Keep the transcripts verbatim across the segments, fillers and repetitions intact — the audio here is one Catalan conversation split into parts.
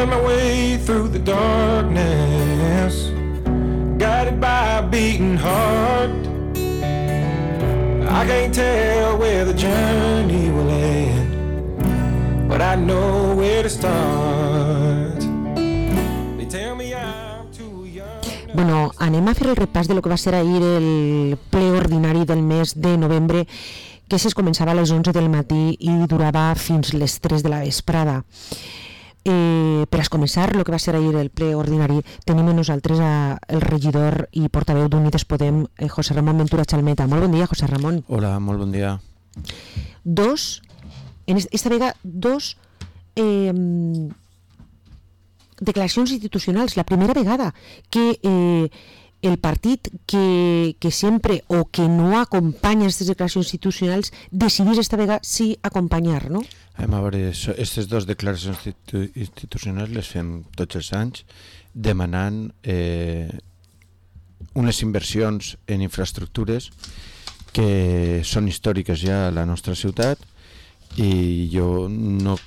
feeling my way through the darkness, guided by a beating heart. I can't tell where the journey will end, but I know where to start. They tell me I'm too young. Bueno, anem a fer el repàs de lo que va ser ahir el ple ordinari del mes de novembre, que es començava a les onze del matí i durava fins les tres de la vesprada. Eh, per a començar el que va ser ahir el ple ordinari tenim amb nosaltres a, el regidor i portaveu d'Unides Podem, eh, José Ramón Ventura Chalmeta. Molt bon dia, José Ramón. Hola, molt bon dia. Dos, en esta vegada, dos eh, declaracions institucionals. La primera vegada que eh, el partit que, que sempre o que no acompanya aquestes declaracions institucionals decidís esta vegada sí acompanyar, no? A veure, aquestes dues declaracions institu- institucionals les fem tots els anys demanant eh, unes inversions en infraestructures que són històriques ja a la nostra ciutat, i jo no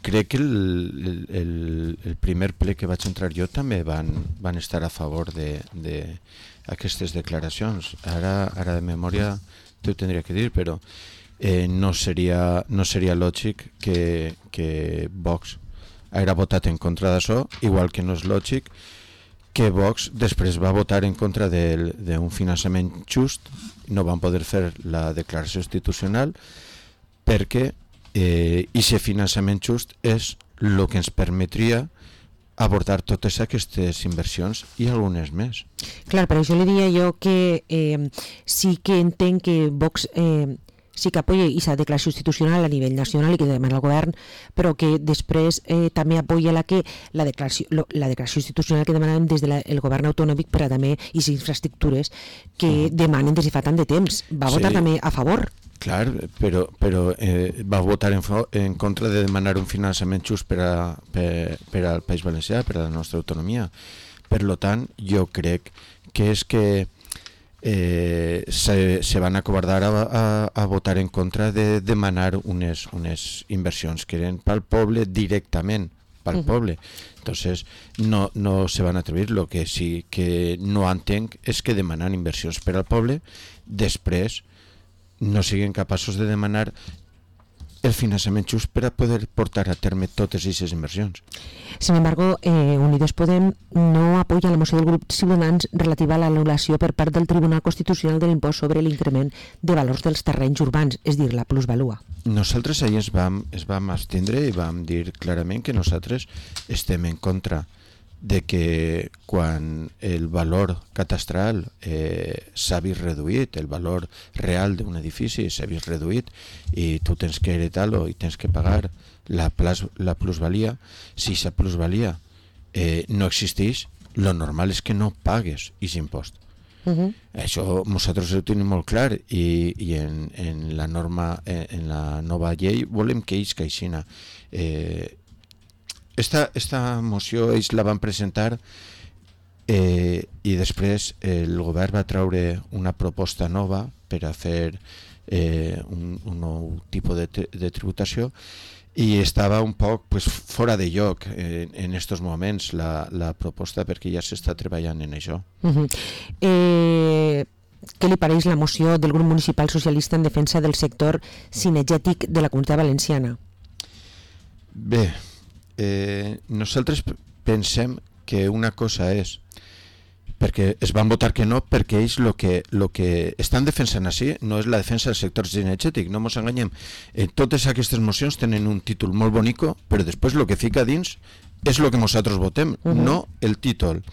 crec que el, el, el primer ple que vaig entrar jo també van, van estar a favor d'aquestes de, de declaracions. Ara, ara de memòria t'ho tindria que dir, però eh, no, seria, no seria lògic que, que Vox haguera votat en contra d'això, igual que no és lògic que Vox després va votar en contra d'un finançament just. No van poder fer la declaració institucional perquè Eh, i aquest finançament just és el que ens permetria abordar totes aquestes inversions i algunes més. Clar, per això li diria jo que eh, sí que entenc que Vox eh, sí que apoya aquesta declaració institucional a nivell nacional i que demana al govern, però que després eh, també apoya la que la declaració, lo, la declaració institucional que demanen des del de govern autonòmic per a també les infraestructures que uh-huh. demanen des de fa tant de temps. Va votar sí. també a favor. Clar, però, però eh, va votar en, en contra de demanar un finançament just per, a, per, per al País Valencià, per a la nostra autonomia. Per tant, jo crec que és que eh, se, se van acobardar a, a, a votar en contra de demanar unes, unes inversions que eren pel poble directament, pel uh-huh. poble. Entonces, no, no se van atrevir. Lo que sí que no entenc és que demanant inversions per al poble, després no siguin capaços de demanar el finançament just per a poder portar a terme totes aquestes inversions. Sin embargo, eh, Unides Podem no apoya la moció del grup Ciutadans relativa a l'anul·lació per part del Tribunal Constitucional de l'impost sobre l'increment de valors dels terrenys urbans, és dir, la plusvalua. Nosaltres ahir es vam, es vam abstindre i vam dir clarament que nosaltres estem en contra de que quan el valor catastral eh, s'ha vist reduït, el valor real d'un edifici s'ha vist reduït i tu tens que heretar-lo i tens que pagar la, plas, la plusvalia, si aquesta plusvalia eh, no existeix, lo normal és que no pagues aquest impost. Uh-huh. Això nosaltres ho tenim molt clar i, i en, en la norma, en, en la nova llei volem que ells caixina. Eh, Esta, esta moció ells la van presentar eh, i després el govern va treure una proposta nova per a fer eh, un, un nou tipus de, de tributació i estava un poc pues, fora de lloc en, en estos moments la, la proposta perquè ja s'està treballant en això. Uh-huh. Eh... Què li pareix la moció del grup municipal socialista en defensa del sector cinegètic de la Comunitat Valenciana? Bé, Eh, nosaltres pensem que una cosa és perquè es van votar que no perquè ells el que, lo que estan defensant així no és la defensa del sector cinegètic, no ens enganyem. Eh, totes aquestes mocions tenen un títol molt bonico, però després el que fica dins és el que nosaltres votem, uh-huh. no el títol.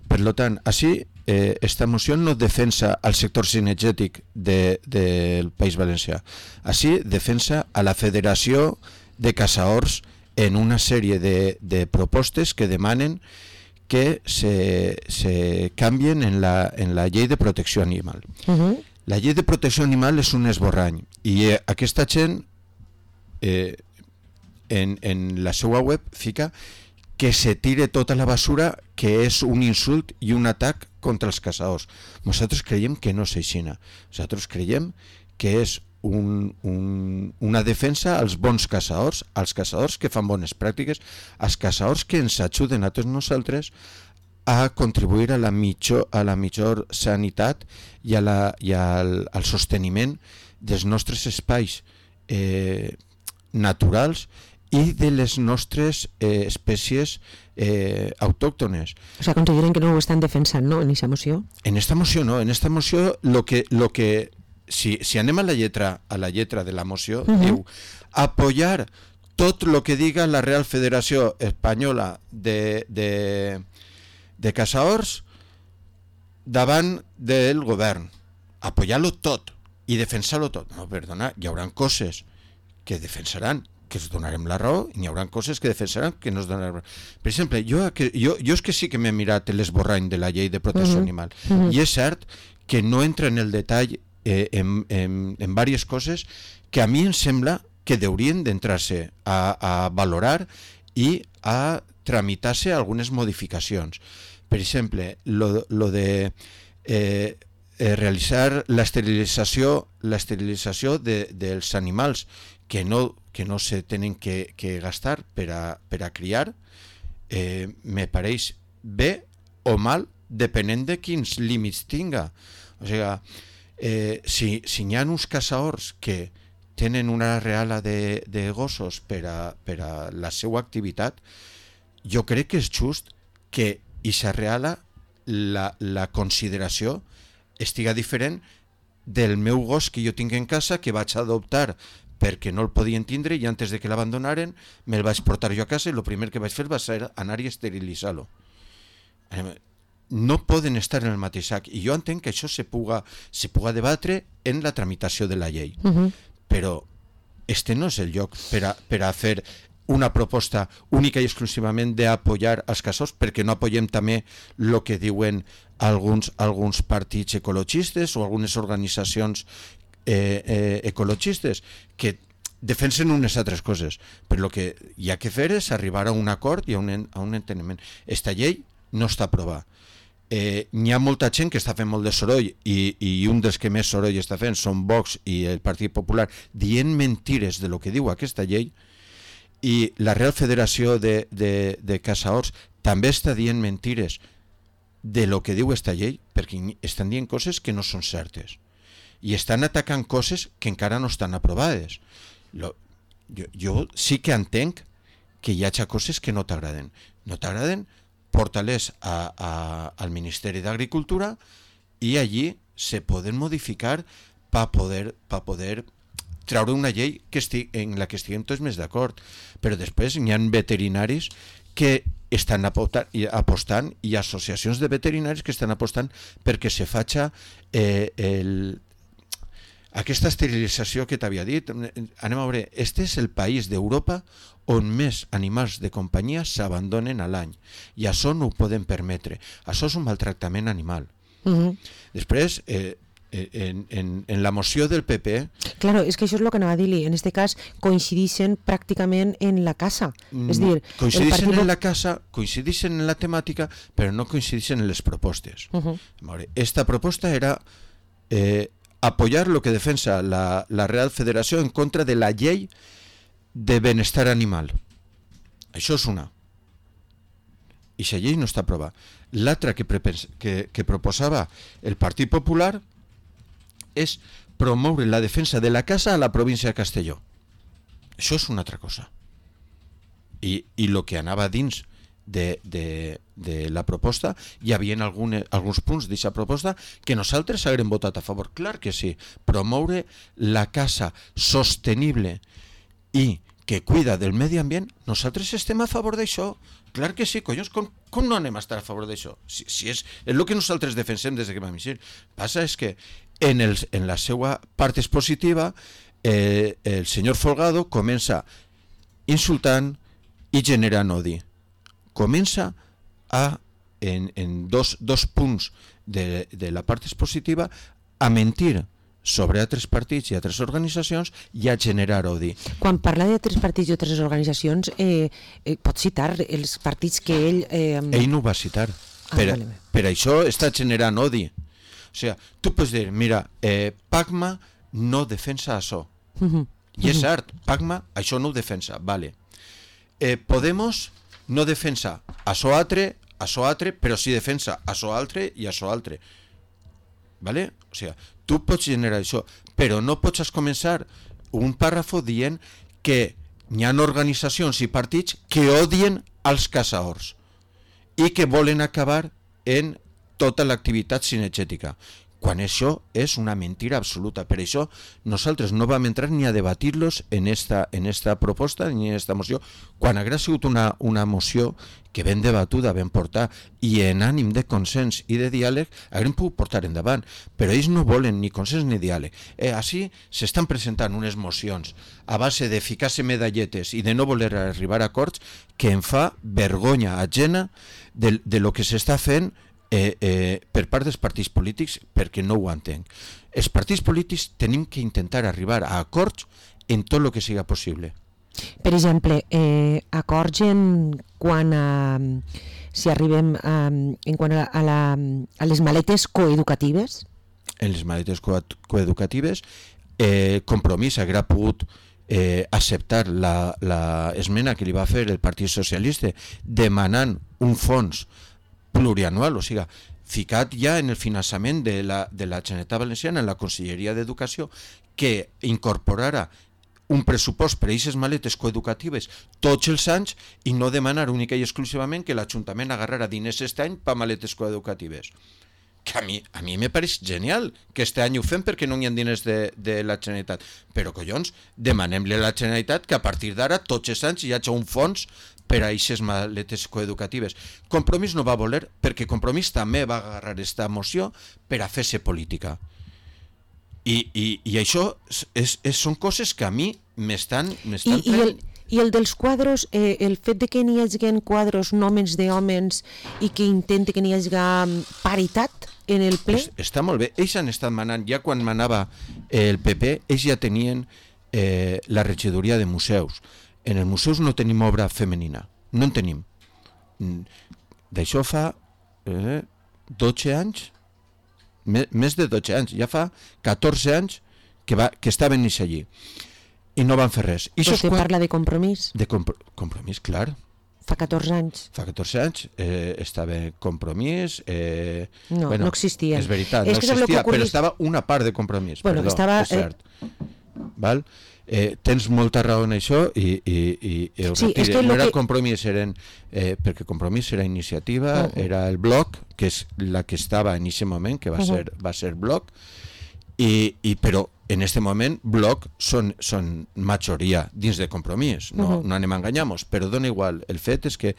Per tant, així eh, esta moció no defensa al sector cinegètic de, del País Valencià, així defensa a la Federació de Caçadors en una sèrie de, de propostes que demanen que se, se canvien en la, en la llei de protecció animal. Uh-huh. La llei de protecció animal és un esborrany i eh, aquesta gent eh, en, en la seva web fica que se tire tota la basura, que és un insult i un atac contra els caçadors. Nosaltres creiem que no és així. Nosaltres creiem que és un, un, una defensa als bons caçadors, als caçadors que fan bones pràctiques, als caçadors que ens ajuden a tots nosaltres a contribuir a la millor, a la millor sanitat i, a la, i al, al sosteniment dels nostres espais eh, naturals i de les nostres eh, espècies eh, autòctones. O sea, consideren que no ho estan defensant, no?, en aquesta moció? En esta moció no, en esta moció lo que, lo que si, si anem a la lletra a la lletra de la moció, uh-huh. diu apoyar tot lo que diga la Real Federació Espanyola de, de, de Caçadors davant del govern. Apoyar-lo tot i defensar-lo tot. No, perdona, hi haurà coses que defensaran que es donarem la raó i hi haurà coses que defensaran que no es donaran la raó. Per exemple, jo, jo, jo és que sí que m'he mirat l'esborrany de la llei de protecció uh-huh. animal uh-huh. i és cert que no entra en el detall eh, en, en, en diverses coses que a mi em sembla que haurien d'entrar-se a, a valorar i a tramitar-se algunes modificacions. Per exemple, lo, lo de eh, eh, realitzar l'esterilització l'esterilització de, dels animals que no, que no se tenen que, que gastar per a, per a criar, eh, me pareix bé o mal depenent de quins límits tinga. O sigui, eh, si, si hi ha uns caçadors que tenen una reala de, de gossos per a, per a la seva activitat, jo crec que és just que aquesta reala, la, la consideració estiga diferent del meu gos que jo tinc en casa, que vaig adoptar perquè no el podien tindre i antes de que l'abandonaren me'l vaig portar jo a casa i el primer que vaig fer va ser anar i esterilitzar-lo. No poden estar en el mateix sac i jo entenc que això se puga, se puga debatre en la tramitació de la llei. Uh-huh. Però este no és el lloc per a, per a fer una proposta única i exclusivament d'apoyar els caçadors, perquè no apoyem també el que diuen alguns, alguns partits ecologistes o algunes organitzacions eh, eh, ecologistes que defensen unes altres coses, però el que hi ha que fer és arribar a un acord i a un, a un enteniment. Esta llei no està aprovada. Eh, n'hi ha molta gent que està fent molt de soroll i, i un dels que més soroll està fent són Vox i el Partit Popular dient mentires de lo que diu aquesta llei, i la Real Federació de, de, de Caçadors també està dient mentires de lo que diu aquesta llei, perquè estan dient coses que no són certes i estan atacant coses que encara no estan aprovades. Lo, jo, jo sí que entenc que hi hagi coses que no t'agraden. No t'agraden, porta-les a, a, al Ministeri d'Agricultura i allí se poden modificar per poder, pa poder treure una llei que estig, en la que estiguem tots més d'acord. Però després hi ha veterinaris que estan apostant i associacions de veterinaris que estan apostant perquè se faci eh, el, aquesta esterilització que t'havia dit. Anem a veure, este és el país d'Europa on més animals de companyia s'abandonen a l'any i això no ho podem permetre. Això és un maltractament animal. Uh-huh. Després, eh, En, en, en la moció del P P... Claro, és que això és el que anava a dir-li. En este cas coincideixen pràcticament en la casa. És dir, coincideixen partit... en la casa, coincideixen en la temàtica, però no coincideixen en les propostes. Uh-huh. Esta proposta era eh, apoyar lo que defensa la, la Real Federació en contra de la llei de benestar animal. Això és una. I la llei no està aprovada. L'altra que, que, que proposava el Partit Popular és promoure la defensa de la caça a la província de Castelló. Això és una altra cosa. I, i el que anava dins de, de, de la proposta, hi havia algunes, alguns punts d'aquesta proposta que nosaltres haguem votat a favor. Clar que sí. Promoure la caça sostenible i que cuida del medi ambient, nosaltres estem a favor d'això. Clar que sí, collons, com, com no anem a estar a favor d'això? Si, si és, és el que nosaltres defensem des que vam eixir. Passa és que en, el, en la seva part expositiva eh, el senyor Folgado comença insultant i generant odi. Comença a, en, en dos, dos punts de, de la part expositiva a mentir sobre altres partits i altres organitzacions i a generar odi. Quan parla d'altres partits i altres organitzacions, eh, eh, pot citar els partits que ell... Eh... Ell no ho va citar. Ah, per, vale. Per això està generant odi. O sigui, tu pots dir, mira, eh, Pacma no defensa això. Mhm. I és cert, Pacma això no ho defensa, vale. Eh, Podemos no defensa això altre, això altre, però sí defensa això altre i això altre. Vale? O sigui, tu pots generar això, però no pots començar un pàrrafo dient que hi ha organitzacions i partits que odien els caçadors i que volen acabar en tota l'activitat cinegètica, quan això és una mentira absoluta. Per això nosaltres no vam entrar ni a debatir-los en esta, en esta proposta ni en esta moció, quan hagués sigut una, una moció que ben debatuda, ben portar, i en ànim de consens i de diàleg haguem pogut portar endavant, però ells no volen ni consens ni diàleg. Eh, així s'estan presentant unes mocions a base de ficar-se medalletes i de no voler arribar a acords que em fa vergonya ajena de, de lo que s'està fent Eh, eh, per part dels partits polítics, perquè no ho entenc. Els partits polítics tenim que intentar arribar a acords en tot el que siga possible. Per exemple, eh, acords en quan a, si arribem a, en quant a, a, la, a les maletes coeducatives? En les maletes co coeducatives, eh, Compromís haguera pogut eh, acceptar la, la esmena que li va fer el Partit Socialista demanant un fons plurianual, o sigui, ficat ja en el finançament de la, de la Generalitat Valenciana, en la Conselleria d'Educació, que incorporara un pressupost per a aquestes maletes coeducatives tots els anys i no demanar única i exclusivament que l'Ajuntament agarrara diners aquest any per maletes coeducatives. Que a mi, a mi me pareix genial que este any ho fem perquè no hi ha diners de, de la Generalitat. Però, collons, demanem-li a la Generalitat que a partir d'ara, tots els anys, hi hagi un fons per a aquestes maletes coeducatives. Compromís no va voler, perquè Compromís també va agarrar aquesta moció per a fer-se política. I, i, i això és, és, són coses que a mi m'estan... I, i, el, I el dels quadros, eh, el fet de que n'hi hagi quadros nòmens d'hòmens i que intente que n'hi hagi paritat en el ple? Es, està molt bé. Ells han estat manant, ja quan manava el P P, ells ja tenien eh, la regidoria de museus. En els museus no tenim obra femenina, no en tenim. D'això fa eh, dotze anys, més de dotze anys, ja fa catorze anys que, va, que estaven ells allí i no van fer res. I Vostè quan... parla de Compromís? De compro... Compromís, clar. Fa catorze anys. Fa catorze anys eh, estava Compromís... Eh, no, bueno, no existia. És veritat, és no existia, ocurris... però estava una part de Compromís. Bueno, perdó, estava, és cert. Eh... Val? Eh, tens molta raó en això i, i, i, i ho sí, retire. No era que... Compromís, eren, eh, perquè Compromís era iniciativa, uh -huh. era el bloc, que és la que estava en aquest moment, que va, uh -huh. ser, va ser bloc, i, i, però en aquest moment bloc són, són majoria dins de Compromís, no, uh -huh. no anem a enganyar-nos, però dona igual. El fet és que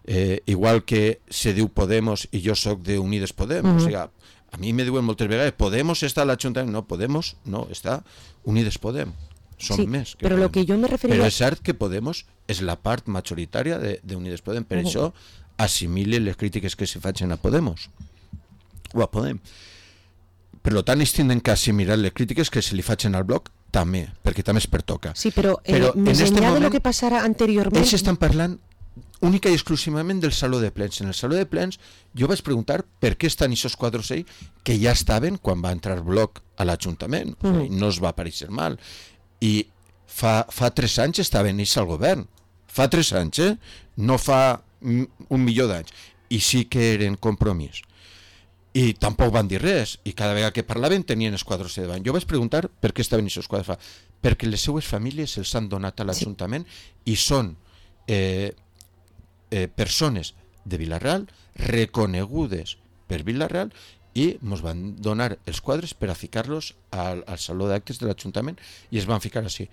eh, igual que se diu Podemos i jo soc de Unides Podem, uh -huh. o sigui, a mi me diuen moltes vegades Podemos està a l'Ajuntament, no, Podemos no, està Unides Podem. Són sí, més. Que però Podem. Lo que jo me referia... Però és cert que Podemos és la part majoritària de, de Unides Podem, per uh -huh. això assimile les crítiques que se facin a Podemos o a Podem. Per tant, ells tenen que assimilar les crítiques que se li facin al bloc també, perquè també es pertoca. Sí, però, eh, però més enllà moment, de lo que passarà anteriorment... Ells estan parlant única i exclusivament del saló de plens. En el saló de plens jo vaig preguntar per què estan aquests quadros ahí que ja estaven quan va entrar bloc a l'Ajuntament. Uh -huh. No es va aparèixer mal. I fa, fa tres anys estaven ells al govern. Fa tres anys, eh? No fa un milió d'anys. I sí que eren Compromís. I tampoc van dir res. I cada vegada que parlaven tenien els quadros de davant. Jo vaig preguntar per què estaven aquests quadros. Perquè les seues famílies els han donat a l'Ajuntament sí. i són eh, eh, persones de Vila-real reconegudes per Vila-real i ens van donar els quadres per a ficar-los al, al saló d'actes de l'Ajuntament i es van ficar així.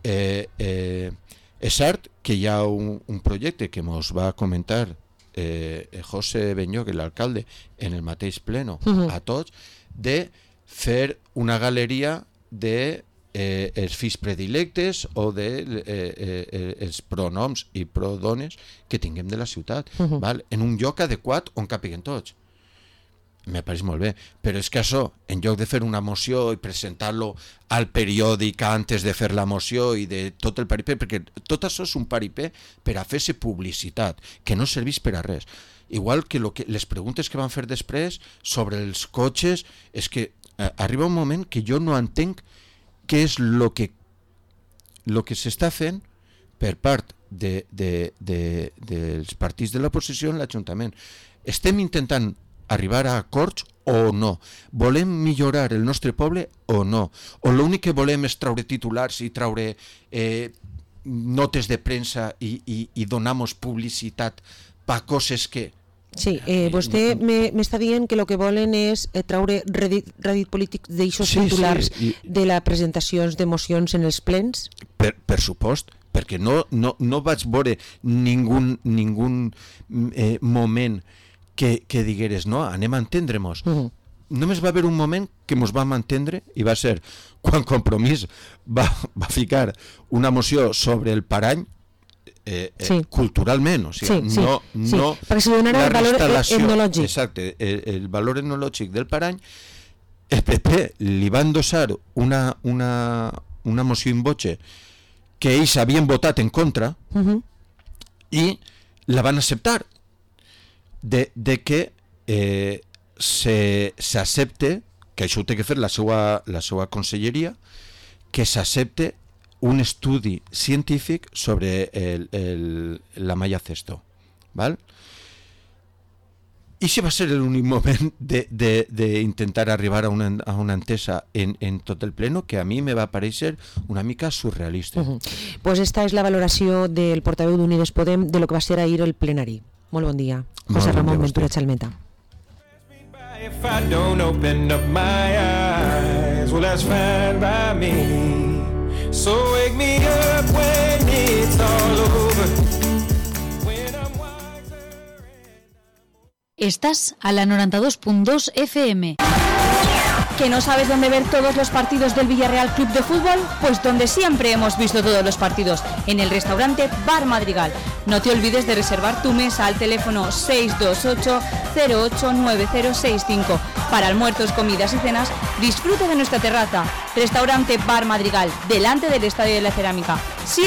Eh, eh, és cert que hi ha un, un projecte que ens va comentar eh, José Benyoc, l'alcalde, en el mateix pleno uh-huh. a tots, de fer una galeria de eh, els fills predilectes o de eh, eh, els pronoms i prodones que tinguem de la ciutat, uh-huh. val? En un lloc adequat on capiguen tots. Me pareix molt bé, però és que això, en lloc de fer una moció i presentar-lo al periòdic antes de fer la moció i de tot el paripé, perquè tot això és un paripé per a fer-se publicitat, que no serveix per a res. Igual que, lo que les preguntes que van fer després sobre els cotxes, és que eh, arriba un moment que jo no entenc què és el que el que s'està fent per part de, de, de, dels partits de l'oposició en l'Ajuntament. Estem intentant arribar a acords o no? Volem millorar el nostre poble o no? O l'únic que volem és traure titulars i traure eh, notes de premsa i, i, i donar-nos publicitat per coses que... Sí, eh, vostè m'està dient que el que volen és eh, traure rèdit, rèdit polític d'aixòs sí, titulars sí, i... de les presentacions de mocions en els plens? Per, per supost, perquè no, no, no vaig veure ningú, ningú eh, moment que, que digueres, no, anem a entendre-nos. Uh -huh. Només va haver un moment que ens vam entendre i va ser quan Compromís va, va ficar una moció sobre el parany Eh, eh, sí. culturalment, o sigui, sí, sí, no, sí. no perquè se donarà el valor etnològic. Exacte, el, el valor etnològic del parany. El P P li va endossar una, una, una moció in voce que ells havien votat en contra uh -huh. i la van acceptar de, de que eh, s'accepte, que això ho té que fer la seva, la seva conselleria, que s'accepte un estudi científic sobre el, el, la malla cesto, ¿vale? I si va ser l'únic moment d'intentar arribar a una, a una entesa en, en tot el pleno que a mi me va parèixer una mica surrealista. Uh -huh. Pues esta és la valoració del portaveu d'Unides Podem de lo que va ser ahir el plenari. Molt bon dia, José bon Ramón dia Ventura Chalmeta. If I don't open up my eyes, well that's fine by me. So wake me up when it's all over. When I'm wiser and... Estás a la noventa y dos punto dos F M. ¿Que no sabes dónde ver todos los partidos del Villarreal Club de Fútbol? Pues donde siempre hemos visto todos los partidos, en el restaurante Bar Madrigal. No te olvides de reservar tu mesa al teléfono seis dos ocho cero ocho nueve cero seis cinco. Para almuerzos, comidas y cenas, disfruta de nuestra terraza. Restaurante Bar Madrigal, delante del Estadio de la Cerámica.